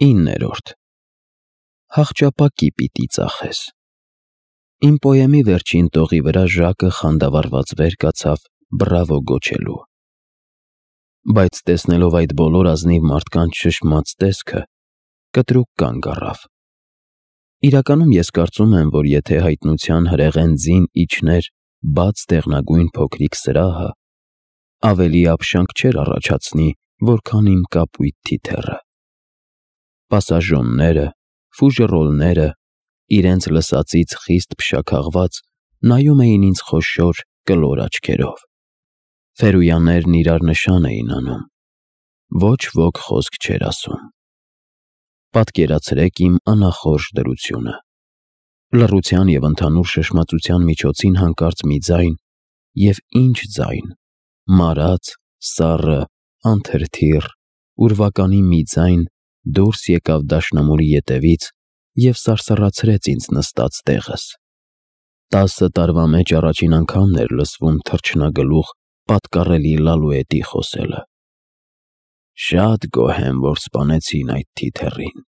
9. Հաղճապակի պիտի ծախես։ Իմ պոեմի վերջին տողի վրա Ժակը խանդավառված վեր կացավ բրավո գոչելու։ Բայց տեսնելով այդ բոլոր ազնիվ մարդկանց շշմած տեսքը, կտրուկ կանգ առավ։ Իրականում ես կարծում եմ, որ եթե հայտնության հրեղեն ձին իջներ բաց դեղնագույն փոքրիկ սրահը, ավելի ապշանք չէր առաջացնի, որքան իմ կապույտ թիթեռը։ Պասաժոնները, ֆուժերոլները, իրենց լսածից խիստ փշաքաղված, նայում էին ինձ խոշոր, կլոր աչքերով։ Ֆերույաներն իրար նշան էին անում։ Ոչ ոք խոսք չէր ասում։ Պատկերացրեք իմ անախորժ դրությունը։ Լռության և ընդհանուր շշմածության միջոցին հանկարծ մի ձայն, և ինչ ձայն, մարած, սառը, անթրթիռ, ուրվականի մի ձայն դուրս եկավ դաշնամուրի ետևից և սարսռացրեց ինձ նստած տեղս։ 10 տարվա մեջ առաջին անգամն էր լսվում թռչնագլուխ պատկառելի Լալուետի խոսելը։ «Շատ գոհ եմ, որ սպանեցին այդ թիթեռին»,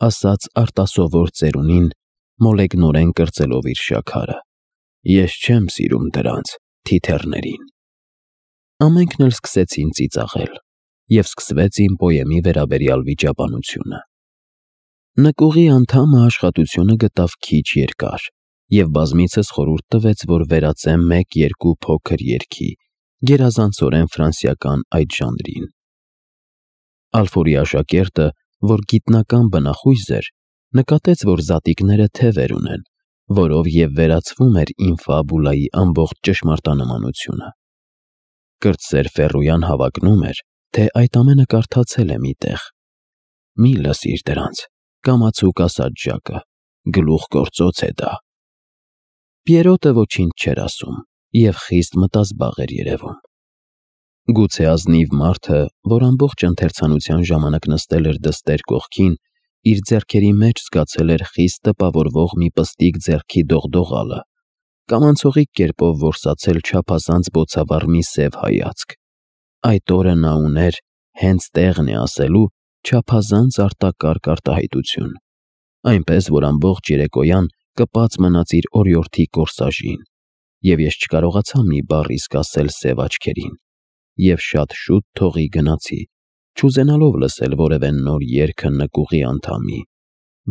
ասաց արտասովոր ծերունին, մոլեգնորեն կրծելով իր շաքարը։ «Ես չեմ սիրում դրանց, թիթեռներին»։ Ամենքն էլ սկսեցին ծիծաղել, և սկսվեց իմ պոեմի վերաբերյալ վիճաբանությունը։ Նկուղի անդամը աշխատությունը գտավ քիչ երկար և բազմիցս խորհուրդ տվեց, որ վերածեմ 1-2 փոքր երգի, գերազանցորեն ֆրանսիական այդ ժանրին։ Ալֆորի աշակերտը, որ գիտնական բնախույզ էր, նկատեց, որ զատիկները թևեր ունեն, որով և վերացվում էր իմ ֆաբուլայի ամբողջ ճշմարտանմանությունը։ Կրտսեր Ֆեռույան հավակնում էր, թե այդ ամենը կարդացել է մի տեղ։ «Մի լսիր դրանց», կամացուկ ասաց Ժակը, «գլուխգործոց է դա»։ Պիերոտը ոչինչ չէր ասում և խիստ մտազբաղ էր երևում։ Գուցե ազնիվ մարդը, որ ամբողջ ընթերցանության ժամանակ նստել էր դստեր կողքին, իր ձեռքերի մեջ զգացել էր խիստ տպավորվող մի պստիկ ձեռքի դողդողալը, կամ անցողիկ կերպով որսացել չափազանց բոցավառ մի սև հայացք։ Այդ օրը նա ուներ, հենց տեղն է ասելու, չափազանց արտակարգ արտահայտություն, այնպես, որ ամբողջ երեկոյան կպած մնաց իր օրիորդի կորսաժին, և ես չկարողացա մի բառ իսկ ասել սև աչքերին, և շատ շուտ թողի գնացի, չուզենալով լսել որևէ նոր երգը նկուղի անդամի,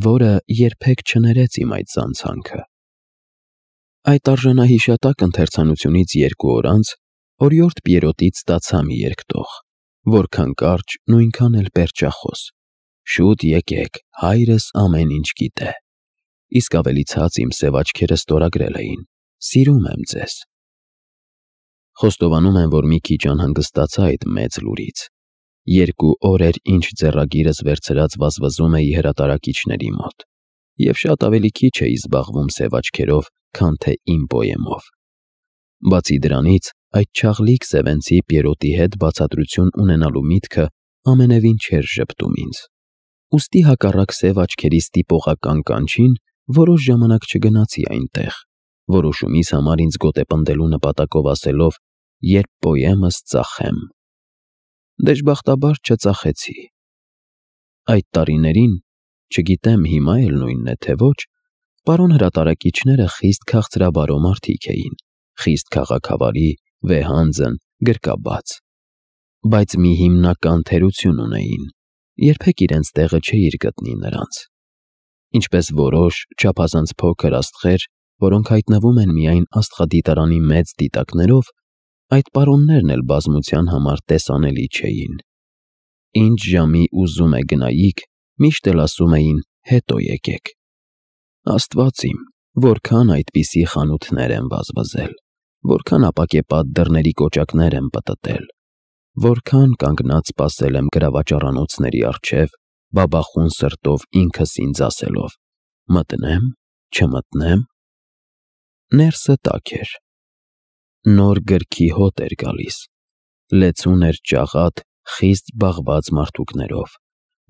որը երբեք չներեց իմ այդ զանցանքը։ Այդ արժանահիշատակ ընթերցանությունից 2 օր անց օրիորդ Պիերոտից ստացա մի երկտող, որքան կարճ, նույնքան էլ պերճախոս. «Շուտ եկեք, հայրս ամեն ինչ գիտե», իսկ ավելի ցած իմ սև աչքերը ստորագրել էին. «Սիրում եմ ձեզ»։ Խոստովանում եմ, որ մի քիչ անհանգստացա այդ մեծ լուրից։ 2 օր էր, ինչ ձեռագիրս վերցրած վազվզում էի հրատարակիչների մոտ, և շատ ավելի քիչ էի զբաղվում սև աչքերով, քան թե իմ պոեմով։ Բացի դրանից, այդ չաղլիկ սևենցի Պիերոտի հետ բացատրություն ունենալու միտքը ամենևին չէր ժպտում ինձ։ Ուստի հակառակ սև աչքերի ստիպողական կանչին որոշ ժամանակ չգնացի այնտեղ, որոշումիս համար ինձ գոտեպնդելու նպատակով ասելով, երբ պոեմս ծախեմ։ Դժբախտաբար չծախեցի։ Այդ տարիներին, չգիտեմ հիմա էլ նույնն է թե ոչ, պարոն հրատարակիչները խիստ քաղցրաբարո մարդիկ էին, խիստ քաղաքավարի, վեհանձն, գրկաբաց։ Բայց մի հիմնական թերություն ունեին. երբեք իրենց տեղը չէիր գտնի նրանց։ Ինչպես որոշ չափազանց փոքր աստղեր, որոնք հայտնվում են միայն աստղադիտարանի մեծ դիտակներով, այդ պարոններն էլ բազմության համար տեսանելի չէին։ Ինչ ժամի ուզում է գնայիք, միշտ էլ ասում էին հետո եկեք։ Աստված իմ, որքան այդպիսի խանութներ եմ վազվզել, որքան ապակեպատ դռների կոճակներ եմ պտտել, որքան կանգնած սպասել եմ գրավաճառանոցների առջև, բաբախուն սրտով ինքս ինձ ասելով. մտնե՞մ, չմտնե՞մ։ Ներսը տաք էր։ Նոր գրքի հոտ էր գալիս։ Լեցուն էր ճաղատ, խիստ զբաղված մարդուկներով,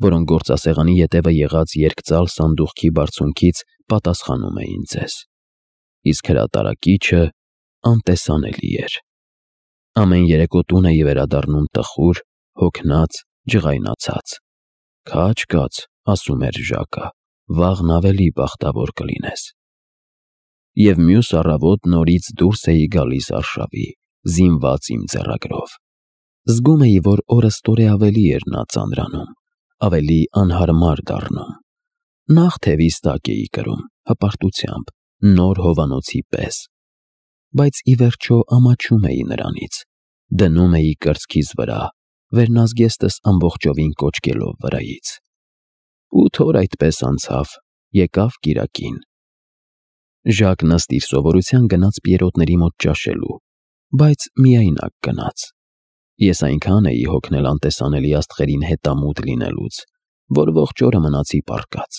որոնք գործասեղանի ետևը եղած երկծալ սանդուղքի բարձունքից պատասխանում էին ձեզ։ Իսկ հրատարակիչը անտեսանելի էր։ Ամեն երեկո տուն էի վերադառնում տխուր, հոգնած, ջղայնացած։ Քաջ կաց, ասում էր Ժակը, վաղն ավելի բախտավոր կլինես։ Եվ մյուս առավոտ նորից դուրս էի գալիս արշավի, զինված իմ ձեռագրով։ Զգում էի, որ օրը ստորե ավելի էր նա ծանրանում, ավելի անհարմար դառնում։ Նախ թևիս տակ էի կրում, հպարտությամբ, նոր հովանոցի պես, բայց ի վերջո ամաչում էի նրանից, դնում էի կրծքիս վրա, վերնազգեստս ամբողջովին կոչկելով վրայից։ 8 օր այդպես անցավ, եկավ կիրակին։ Ժակն ըստ իր սովորության գնաց Պիերոտների մոտ ճաշելու, բայց միայնակ գնաց։ Ես այնքան էի հոգնել անտեսանելի աստղերին հետամուտ լինելուց, որ ողջ օրը մնացի պառկած։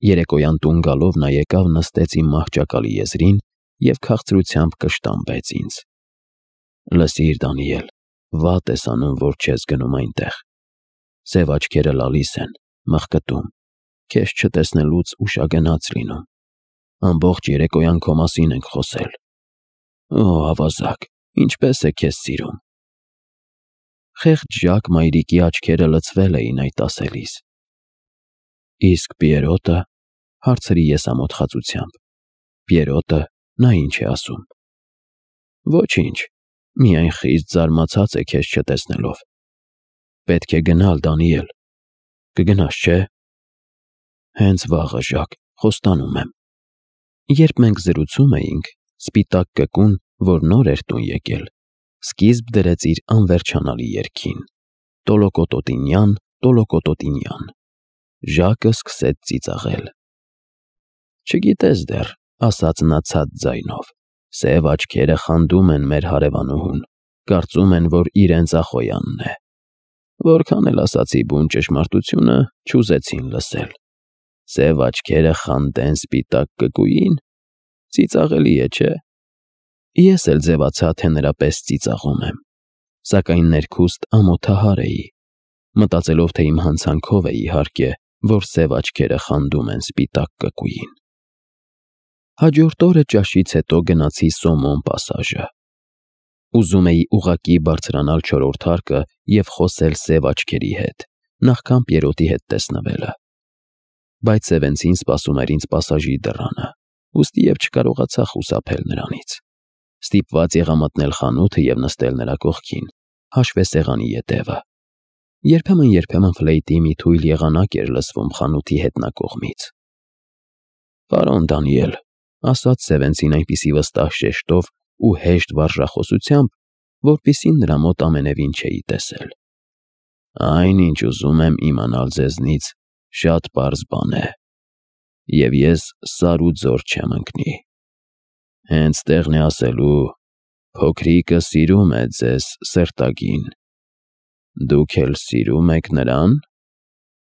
Երեկոյան տուն գալով նա եկավ նստեց իմ մահճակալի եզրին և քաղցրությամբ կշտամբեց ինձ։ Լսիր, Դանիել, վատ ես անում, որ չես գնում այնտեղ։ Սև աչքերը լալիս են, մղկտում, քեզ չտեսնելուց ուշագնաց լինում։ Ամբողջ երեկոյան քո մասին ենք խոսել։ Օ, ավազակ, ինչպես է քեզ սիրում։ Խեղճ Ժակ մայրիկի աչքերը լցվել էին այդ ասելիս։ Իսկ Պիերոտը, հարցրի ես ամոթխածությամբ։ Պիերոտը, նա ինչ է ասում։ Ոչինչ, միայն խիստ զարմացած է քեզ չտեսնելով։ Պետք է գնալ, Դանիել։ Կգնաս, չէ՞։ Հենց վաղը, Ժակ, խոստանում եմ։ Երբ մենք զրուցում էինք, սպիտակ կկուն, որ նոր էր տուն եկել, սկիզբ դրեց իր անվերջանալի երգին. Տոլոկոտոտինյան, տոլոկոտոտինյան։ Ժակը սկսեց ծիծաղել։ Չգիտես դեռ, ասաց նա ցած ձայնով, սև աչքերը խանդում են մեր հարևանուհուն, կարծում են, որ իրենց Ախոյանն է։ Որքան էլ ասացի բուն ճշմարտությունը, չուզեցին լսել։ Սև աչքերը խանդեն սպիտակ կկուին, ծիծաղելի է, չէ՞։ Ես էլ ձևացա, թե նրա պես ծիծաղում եմ, սակայն ներքուստ ամոթահար էի, մտածելով, թե իմ հանցանքով է իհարկե, որ սև աչքերը խանդում են սպիտակ կկուին։ Հաջորդ օրը ճաշից հետո գնացի Սոմոն պասաժը։ Ուզում էի ուղղակի բարձրանալ չորրորդ հարկը և խոսել սև աչքերի հետ, նախքան Պիերոտի հետ տեսնվելը։ Բայց Սևենցին սպասում էր ինձ պասաժի դռանը, ուստի և չկարողացա խուսափել նրանից։ Ստիպված եղա մտնել խանութը և նստել նրա կողքին, հաշվեսեղանի ետևը։ Երբեմն ֆլեյտի մի թույլ եղանակ էր լսվում խանութի հետնակողմից։ Պարոն Դանիել, ասաց Սևենցին այնպիսի վստահ շեշտով ու հեշտ վարժախոսությամբ, որպեսզի նրա մոտ ամենևին չէի տեսել։ Այն, ինչ ուզում եմ իմանալ ձեզնից, շատ պարզ բան է, և ես սար ու ձոր չեմ ընկնի։ Հենց տեղն է ասելու, փոքրիկը սիրում է ձեզ սրտագին։ Դուք էլ սիրում եք նրան։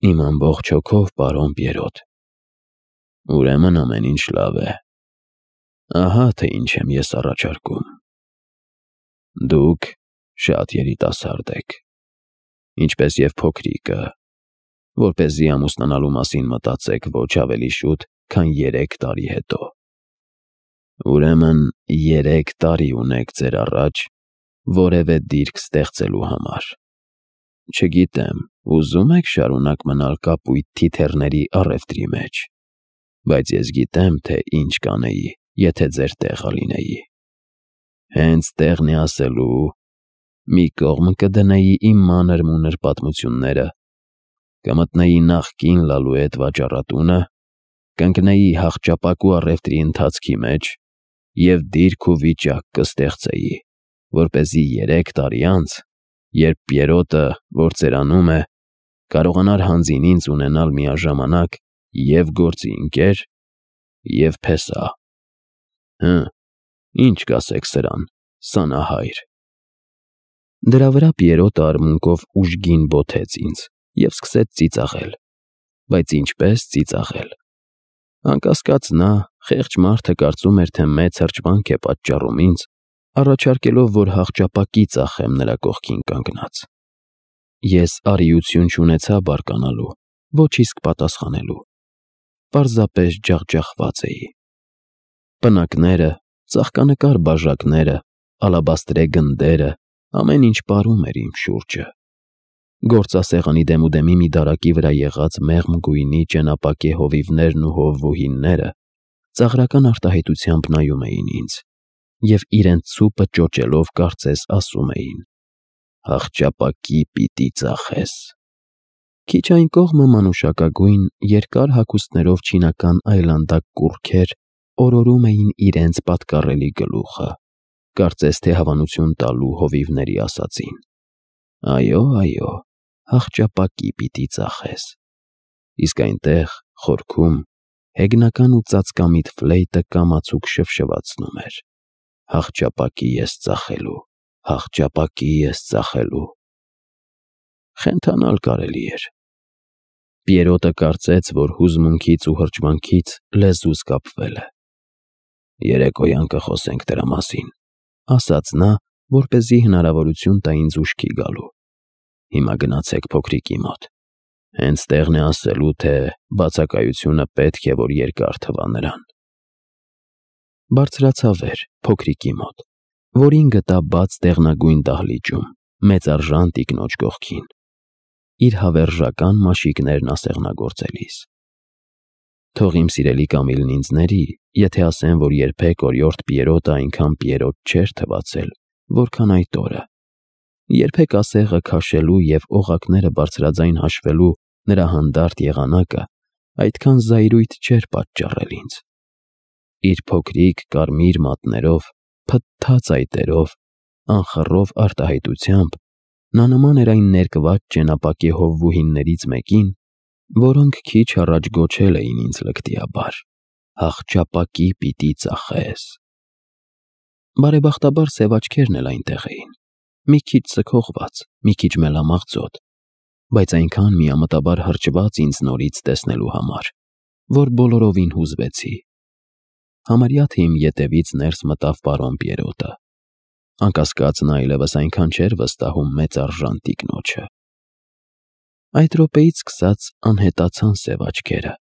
Իմ ամբողջ հոգով, պարոն Պիերոտ։ Ուրեմն ամեն ինչ լավ է։ Ահա թե ինչ եմ ես առաջարկում։ Դուք շատ երիտասարդ եք, ինչպես և փոքրիկը, որպեսզի ամուսնանալու մասին մտածեք ոչ ավելի շուտ, քան 3 տարի հետո։ Ուրեմն 3 տարի ունեք ձեր առաջ որևէ դիրք ստեղծելու համար։ Չգիտեմ, ուզում եք շարունակ մնալ կապույտ թիթեռների առևտրի մեջ, բայց ես գիտեմ, թե ինչ կանեի, եթե ձեր տեղը լինեի։ Հենց տեղն է ասելու, մի կողմ կդնեի իմ մանր-մունր պատմությունները, կմտնեի նախկին Լալուետ վաճառատունը, կընկնեի հախճապակու առևտրի ընթացքի մեջ և դիրք ու վիճակ կստեղծեի, որպեսզի 3 տարի անց, երբ Պիերոտը, որ ծերանում է, կարողանար հանձին ինձ ունենալ միաժամանակ և գործի ընկեր, և փեսա։ Ինչ կասեք սրան, սանահայր։ Դրա վրա Պիերոտը արմունկով ուժգին բոթեց ինձ և սկսեց ծիծաղել, բայց ինչպես ծիծաղել։ Անկասկած նա, խեղճ մարդը, կարծում էր, թե մեծ հրճվանք է պատճառում ինձ, առաջարկելով, որ հախճապակի ծախեմ նրա կողքին կանգնած։ Ես արիություն չունեցա բարկանալու, ոչ իսկ պատասխանելու։ Պարզապես ջախջախված էի։ Պնակները, ծաղկանկար բաժակները, ալաբաստրե գնդերը, ամեն ինչ պարում էր իմ շուրջը։ Գործասեղանի դեմուդեմի մի դարակի վրա եղած մեղմ գույնի ճենապակե հովիվներն ու հովվուհինները ծաղրական արտահայտությամբ նայում էին ինձ և իրենց ցուպը ճոճելով կարծես ասում էին. «Աղճապակի պիտի ծախես»։ Քիչ այն կողմը մանուշակագույն, երկար հագուստներով չինական այլանդակ կուռքեր օրորում էին իրենց պատկառելի գլուխը, կարծես թե հավանություն տալու հովիվների ասածին։ Այո, այո, աղճապակի պիտի ծախես։ Իսկ այնտեղ, խորքում, հեգնական ու ծածկամիտ ֆլեյտը կամացուկ շվշվացնում էր. «Աղճապակի ես ծախելու, աղճապակի ես ծախելու»։ Խենթանալ կարելի էր։ Պիերոտը կարծեց, որ հուզմունքից ու հրճվանքից լեզուս կապվել է։ «Երեկոյան կխոսենք դրա մասին», ասաց նա, որպեսզի հնարավորություն տա ինձ ուշքի գալու։ «Հիմա գնացեք փոքրիկի մոտ։ Հենց տեղն է ասելու, թե բացակայությունը պետք է որ երկար թվա նրան»։ Բարձրացա վեր, փոքրիկի մոտ, որին գտա բաց դեղնագույն դահլիճում, մեծարժան տիկնոջ կողքին, իր հավերժական մաշիկներն ասեղնագործելիս։ Թող իմ սիրելի Կամիլն ինձ ների, եթե ասեմ, որ երբեք օրիորդ Պիերոտը այնքան Պիերոտ չէր թվացել, որքան այդ օրը։ Երբեք ասեղը քաշելու և օղակները բարձրաձայն հաշվելու նրա հանդարտ եղանակը այդքան զայրույթ չէր պատճառել ինձ։ Իր փոքրիկ կարմիր մատներով, փթթած այտերով, անխռով արտահայտությամբ նա նման էր այն ներկված ճենապակե հովվուհիններից մեկին, որոնք քիչ առաջ գոչել էին ինձ լկտիաբար. «Աղճապակի պիտի ծախես»։ Բարեբախտաբար սև աչքերն էլ այնտեղ էին, մի քիչ ձգողված, մի քիչ մելամաղձոտ, բայց այնքան միամտաբար հրճված ինձ նորից տեսնելու համար, որ բոլորովին հուզվեցի։ Համարյա թե իմ ետևից ներս մտավ պարոն Պիերոտը։ Անկասկած նա այլևս այնքան չէր վստահում մեծարժան տիկնոջը։ Այդ րոպեից սկսած անհետացան սև աչքերը,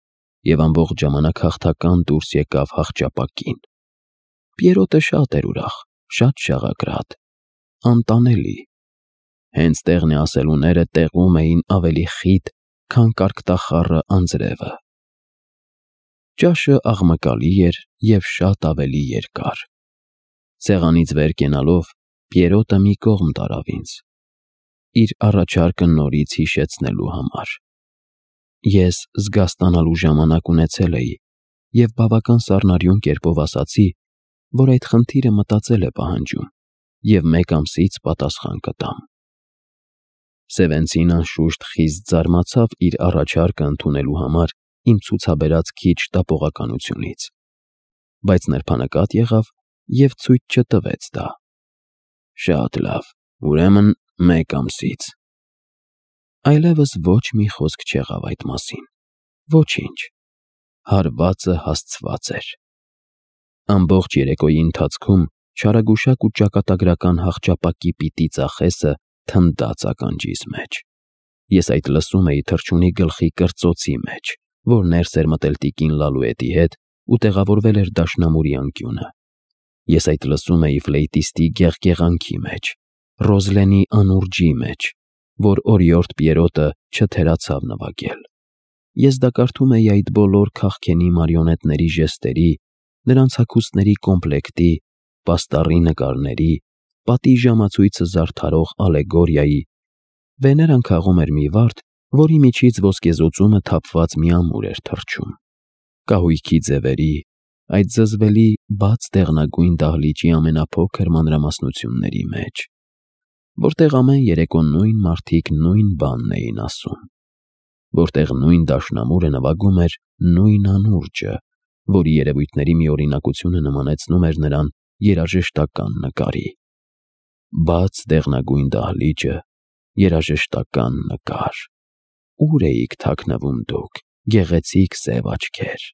և ամբողջ ժամանակ հաղթական դուրս եկավ աղճապակին։ Պիերոտը շատ էր ուրախ, շատ շաղակրատ, անտանելի։ Հենց տեղն է ասելուները տեղում էին ավելի խիտ, քան կարկտախառը անձրևը։ Ճաշը աղմկալի էր և շատ ավելի երկար։ Սեղանից վեր կենալով Պիերոտը մի կողմ տարավ ինձ, իր առաջարկը նորից հիշեցնելու համար։ Ես զգաստանալու ժամանակ ունեցել էի և բավական սառնարյուն կերպով ասացի, որ այդ խնդիրը մտածել է պահանջում և 1 ամսից պատասխան կտամ։ Սևենցին անշուշտ խիստ զարմացավ իր առաջարկը ընդունելու համար իմ ցուցաբերած քիչ տապողականությունից, բայց նրբանկատ եղավ և ցույց չտվեց դա։ Շատ լավ, ուրեմն 1 ամսից։ Այլևս ոչ մի խոսք չեղավ այդ մասին, ոչինչ։ Հարվածը հասցված էր։ Ամբողջ երեկոյի ընթացքում չարագուշակ ու ճակատագրական աղճապակի պիտի ծախեսը թնդաց ականջիս մեջ։ Ես այդ լսում էի թռչունի գլխի կրծոցի մեջ, որ ներս էր մտել տիկին Լալուետի հետ ու տեղավորվել էր դաշնամուրի անկյունը։ Ես այդ լսում էի ֆլեյտիստի գեղգեղանքի մեջ, Ռոզլենի անուրջի մեջ, որ օրիորդ Պիերոտը չթերացավ նվագել։ Ես դա կարդում էի այդ բոլոր քաղքենի մարիոնետների ժեստերի, նրանց հագուստների կոմպլեկտի, պաստառի նկարների, պատի ժամացույցը զարդարող ալեգորիայի։ Վեներան քաղում էր մի վարդ, որի միջից ոսկեզօծումը թափված մի ամուր էր թռչում։ Կահույքի ձևերի, այդ զզվելի բաց դեղնագույն դահլիճի ամենափոքր մանրամասնությունների մեջ, որտեղ ամեն երեկո նույն մարդիկ նույն բանն էին ասում, որտեղ նույն դաշնամուրը նվագում էր նույն անուրջը, որի երևույթների միօրինակությունը նմանեցնում էր նրան երաժշտական նկարի։ Բաց դեղնագույն դահլիճը, երաժշտական նկար։ Ո՞ւր էիք թաքնվում դուք, գեղեցիկ սև աչքեր։